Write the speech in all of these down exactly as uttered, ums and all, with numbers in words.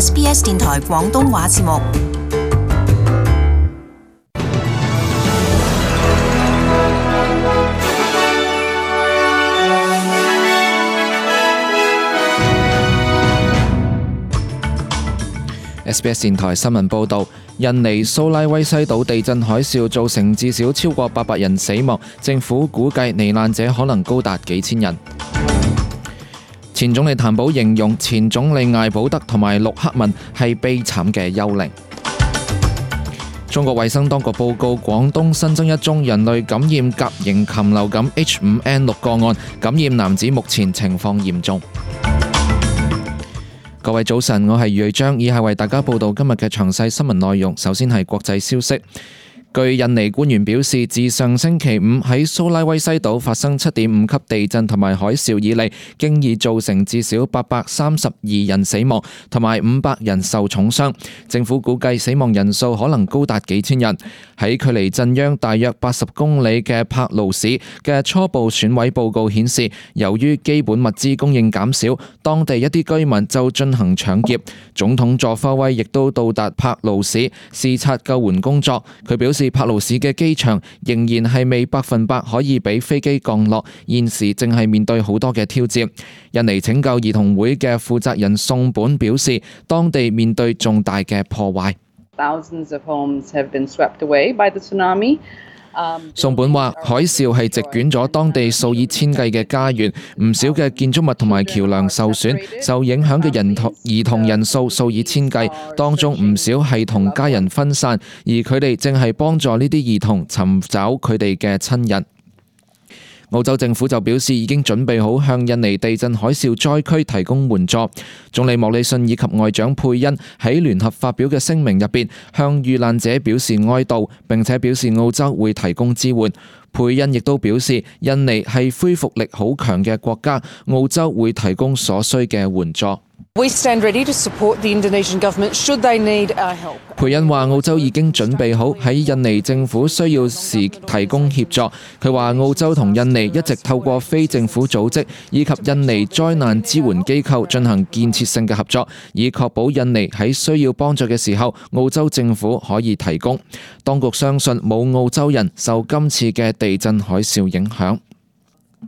S B S 電台廣東話節目。S B S 電台新聞報導，印尼蘇拉威西島地震海嘯造成至少超過八百人死亡，政府估計罹難者可能高達幾千人。前總理譚寶形容前總理艾保德同埋陸克文係悲慘嘅幽靈。中國衛生當局報告，廣東新增一宗人類感染甲型禽流感 H 五 N 六 個案，感染男子目前情況嚴重。各位早晨，我係余瑞章，以下為大家報道今日嘅詳細新聞內容。首先係國際消息。據印尼官員表示，自上星期五喺蘇拉威西島發生七點五級地震同埋海嘯以嚟，經已造成至少八百三十二人死亡，同埋五百人受重傷。政府估計死亡人數可能高達幾千人。喺距離震央大約八十公里嘅柏勞市嘅初步損毀報告顯示，由於基本物資供應減少，當地一啲居民就進行搶劫。總統佐科威亦都到達柏勞市視察救援工作。佢表示，柏勞市嘅機場仍然係未百分百可以俾飛機降落，現時正係面對好多嘅挑戰。印尼拯救兒童會嘅負責人宋本表示，當地面對重大嘅破壞。Thousands of homes have been swept away by the tsunami. 宋本話，海嘯係席捲咗當地數以千計嘅家園，唔少嘅建築物同埋橋梁受損，受影響嘅人童兒童人數數以千計，當中唔少係同家人分散，而佢哋正係幫助呢啲兒童尋找佢哋嘅親人。澳洲政府就表示已經準備好向印尼地震海嘯災區提供援助。總理莫里遜以及外長佩恩喺聯合發表嘅聲明入邊，向遇難者表示哀悼，並且表示澳洲會提供支援。佩恩亦都表示，印尼係恢復力好強嘅國家，澳洲會提供所需嘅援助。We stand ready to support the Indonesian government should they need our help. 佩恩話澳洲已經準備好喺印尼政府需要時提供協助。佢話澳洲同印尼一直透過非政府組織以及印尼災難支援機構進行建設性嘅合作，以確保印尼喺需要幫助嘅時候，澳洲政府可以提供。當局相信冇澳洲人受今次嘅地震海嘯影響。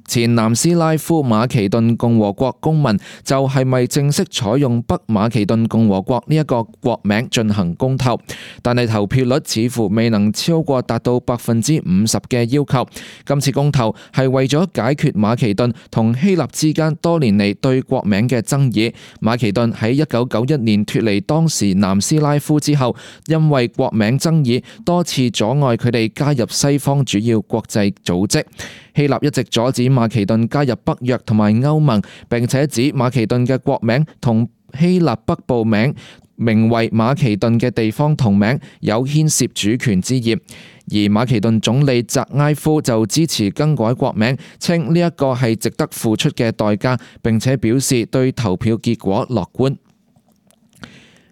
前南斯拉夫馬其頓共和國公民就係咪正式採用北馬其頓共和國呢一個國名進行公投，但係投票率似乎未能超過達到百分之五十嘅要求。今次公投係為咗解決馬其頓同希臘之間多年嚟對國名嘅爭議。馬其頓喺一九九一年脫離當時南斯拉夫之後，因為國名爭議多次阻礙佢哋加入西方主要國際組織。希臘一直阻止馬其頓加入北約同埋歐盟，並且指馬其頓嘅國名同希臘北部名名為馬其頓嘅地方同名有牽涉主權之嫌。而馬其頓總理扎埃夫就支持更改國名，稱呢一個係值得付出嘅代價，並且表示對投票結果樂觀。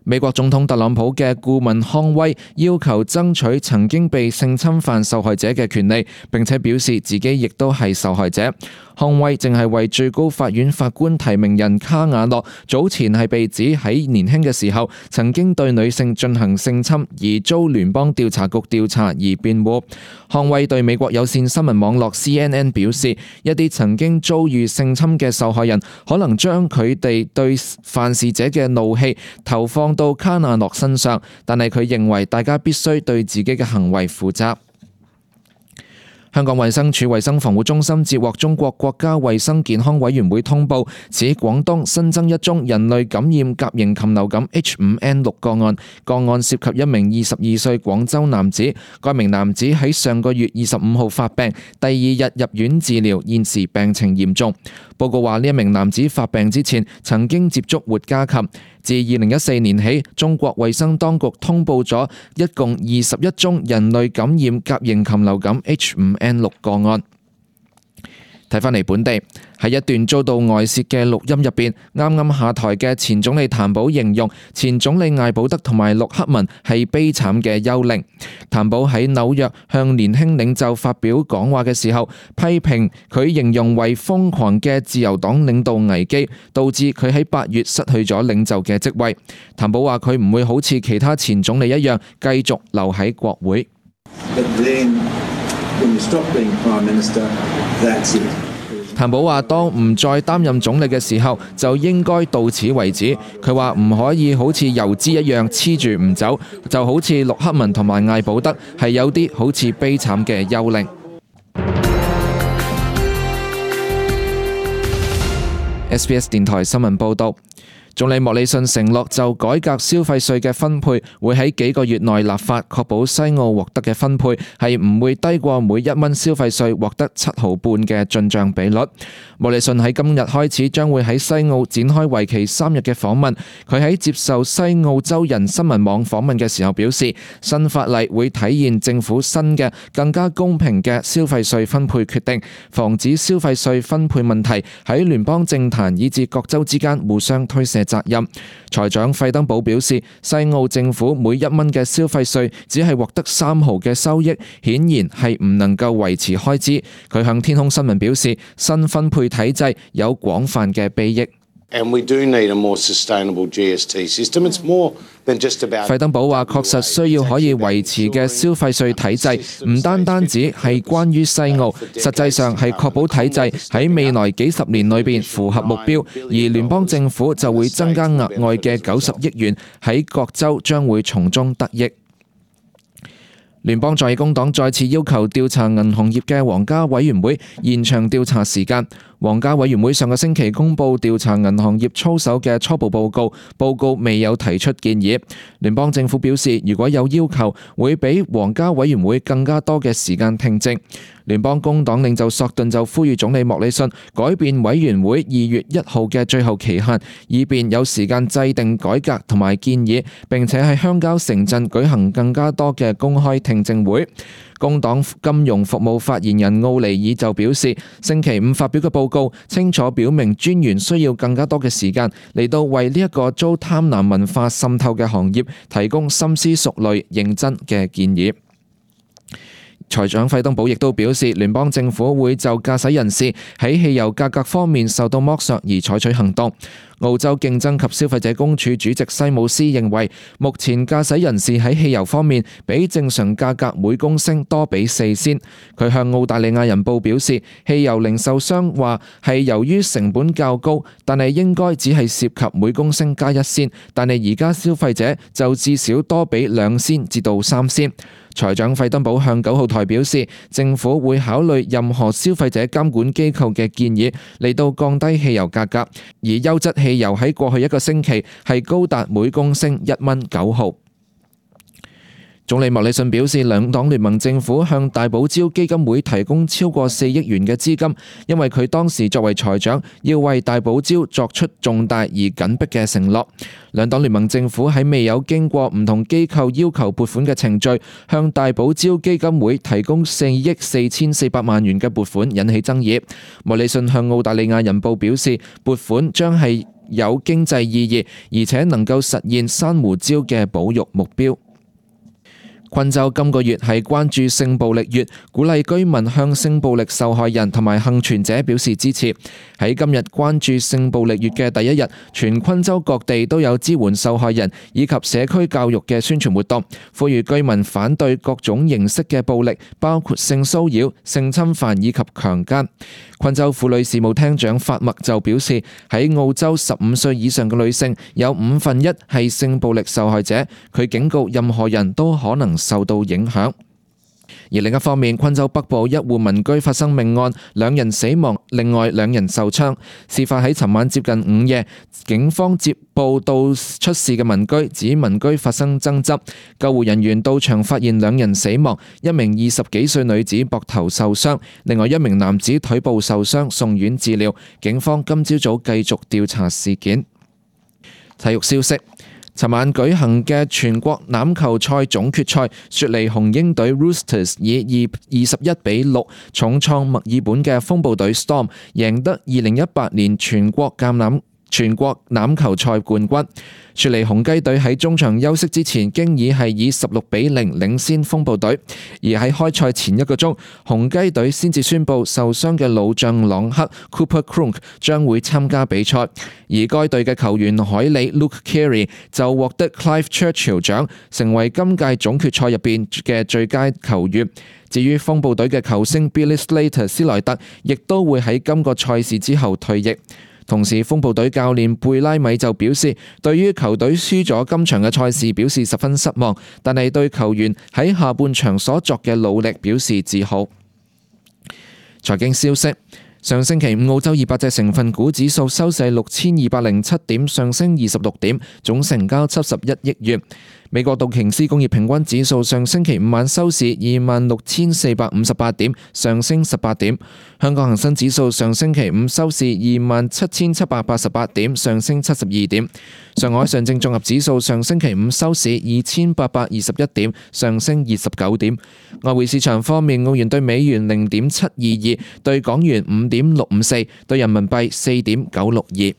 美國總統特朗普嘅顧問康威要求爭取曾經被性侵犯受害者嘅權利，並且表示自己亦都係受害者。康威正係為最高法院法官提名人卡瓦諾早前係被指喺年輕嘅時候曾經對女性進行性侵而遭聯邦調查局調查而辯護。康威對美國有線新聞網絡 C N N 表示，一啲曾經遭遇性侵嘅受害人可能將佢哋對犯事者嘅怒氣投放到卡瓦諾身上，但係佢認為大家必須對自己嘅行為負責。香港衛生署衛生防護中心接獲中國國家衛生健康委員會通報，指廣東新增一宗人類感染甲型禽流感 H 五 N 六 個案，個案涉及一名二十二歲廣州男子。該名男子喺上個月二十五號發病，第二日入院治療，現時病情嚴重。報告話呢一名男子發病之前曾經接觸活家禽。自二零一四年起，中國衛生當局通報咗一共二十一宗人類感染甲型禽流感 H 五 N 六 個案。睇返嚟本地，喺一段遭到外泄嘅錄音入邊，啱啱下台嘅前總理譚寶形容前總理艾保德同埋陸克文係悲慘嘅幽靈。譚寶喺紐約向年輕領袖發表講話嘅時候，批評佢形容為瘋狂嘅自由黨領導危機，導致佢喺八月失去咗領袖嘅職位。譚寶話佢唔會好似其他前總理一樣繼續留喺國會。譚寶話：當唔再擔任總理嘅時候，就應該到此為止。佢話唔可以好似油脂一樣黐住唔走，就好似陸克文同埋艾保德係有啲好似悲慘嘅幽靈。S B S 電台新聞報導。總理莫里遜承諾就改革消費稅嘅分配，會喺幾個月內立法，確保西澳獲得嘅分配係唔會低過每一蚊消費稅獲得七毫半嘅進帳比率。莫里遜喺今日開始將會喺西澳展開為期三日嘅訪問。佢喺接受西澳洲人新聞網訪問嘅時候表示，新法例會體現政府新嘅更加公平嘅消費稅分配決定，防止消費稅分配問題喺聯邦政壇以至各州之間互相推卸責任。財長費登堡表示，西澳政府每一蚊嘅消費稅只係獲得三毫嘅收益，顯然係唔能夠維持開支。佢向天空新聞表示，新分配體制有廣泛嘅裨益。And we do need a more sustainable G S T system. It's more than just about. 費登堡話：確實需要可以維持嘅消費稅體制，唔單單止係關於西澳，實際上係確保體制喺未來幾十年裏邊符合目標，而聯邦政府就會增加額外嘅九十億元，喺各州將會從中得益。聯邦在野工黨再次要求調查銀行業嘅皇家委員會延長調查時間。皇家委員會上個星期公布調查銀行業操守嘅初步報告，報告未有提出建議。聯邦政府表示，如果有要求，會俾皇家委員會更加多嘅時間聽證。聯邦工黨領袖索頓就呼籲總理莫里遜改變委員會二月一號嘅最後期限，以便有時間制定改革同埋建議，並且喺鄉郊城鎮舉行更加多嘅公開聽證會。工黨金融服務發言人奧尼爾就表示，星期五發表嘅報告清楚表明專員需要更加多嘅時間嚟到為呢一個遭貪婪文化滲透嘅行業提供深思熟慮、認真嘅建議。財長費登堡亦都表示，聯邦政府會就駕駛人士喺汽油價格方面受到剝削而採取行動。澳洲競爭及消費者公署主席西姆斯認為，目前駕駛人士喺汽油方面比正常價格每公升多俾四仙。佢向澳大利亞人報表示，汽油零售商話係由於成本較高，但係應該只係涉及每公升加一仙，但係而家消費者就至少多俾兩仙至到三仙。財長費登堡向九號台表示，政府會考慮任何消費者監管機構嘅建議嚟到降低汽油價格，而優質汽油喺過去一個星期係高達每公升一蚊九毫。總理莫里遜表示，兩黨聯盟政府向大堡礁基金會提供超過四億元嘅資金，因為佢當時作為財長要為大堡礁作出重大而緊迫嘅承諾。兩黨聯盟政府喺未有經過唔同機構要求撥款嘅程序，向大堡礁基金會提供四億四千四百萬元嘅撥款，引起爭議。莫里遜向澳大利亞人報表示，撥款將係有經濟意義，而且能夠實現珊瑚礁嘅保育目標。昆州今個月係關注性暴力月，鼓勵居民向性暴力受害人同埋幸存者表示支持。喺今日關注性暴力月嘅第一日，全昆州各地都有支援受害人以及社區教育嘅宣傳活動，呼籲居民反對各種形式嘅暴力，包括性騷擾、性侵犯以及強姦。昆州婦女事務廳長法默就表示，喺澳洲十五歲以上嘅女性有五分一係性暴力受害者，佢警告任何人都可能受到影響。而另一方面，昆州北部一戶民居發生命案，兩人死亡，另外兩人受傷。事發喺尋晚接近午夜，警方接報到出事嘅民居，指民居發生爭執。救護人員到場發現兩人死亡，一名二十幾歲女子膊頭受傷，另外一名男子腿部受傷，送院治療。警方今朝早繼續調查事件。體育消息。尋晚舉行嘅全國欖球賽總決賽，雪梨雄鷹隊 Roosters 以二十一比六重創墨爾本嘅風暴隊 Storm， 贏得二零一八年全國橄欖全國欖球賽冠軍。雪梨雄雞隊喺中場休息之前，經已係以十六比零領先風暴隊，而喺開賽前一個鐘，雄雞隊先至宣布受傷嘅老將朗克 Cooper Cronk 將會參加比賽，而該隊嘅球員海里 Luke Keary 就獲得 Clive Churchill 獎，成為今屆總決賽入邊嘅最佳球員。至於風暴隊嘅球星 Billy Slater 斯萊特，亦都會喺今個賽事之後退役。同時，風暴隊教練貝拉米就表示，對於球隊輸咗今場嘅賽事表示十分失望，但係對球員喺下半場所作嘅努力表示自豪。財經消息。上星期五，澳洲二百隻成分股指數收市六千二百零七點，上升二十六點，總成交七十一億元。美國道瓊斯工業平均指數上星期五晚收市二萬六千四百五十八點，上升十八點。香港恒生指數上星期五收市二萬七千七百八十八點，上升七十二點。上海上證綜合指數上星期五收市二千八百二十一點，上升二十九點。外匯市場方面，澳元對美元零點七二二，對港元五點六五四，對人民幣四點九六二。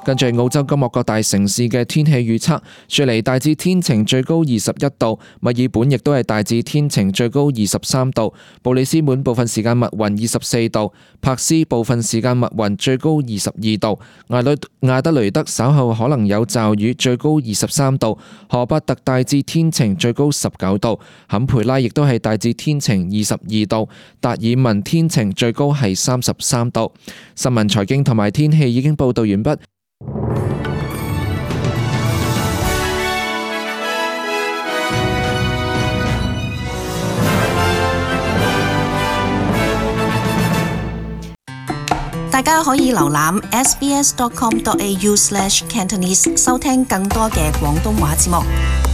跟住澳洲今日各大城市嘅天氣預測，雪梨大致天晴，最高二十一度；墨爾本亦都係大致天晴，最高二十三度；布里斯本部分時間密雲，二十四度；柏斯部分時間密雲，最高二十二度；艾雷亞德雷德稍後可能有驟雨，最高二十三度；荷伯特大致天晴，最高十九度；坎培拉亦都係大致天晴，二十二度；達爾文天晴，最高係三十三度。新聞、財經同埋天氣已經報道完畢。大家可以瀏覽 s b s dot com dot a u slash cantonese 收聽更多嘅廣東話節目。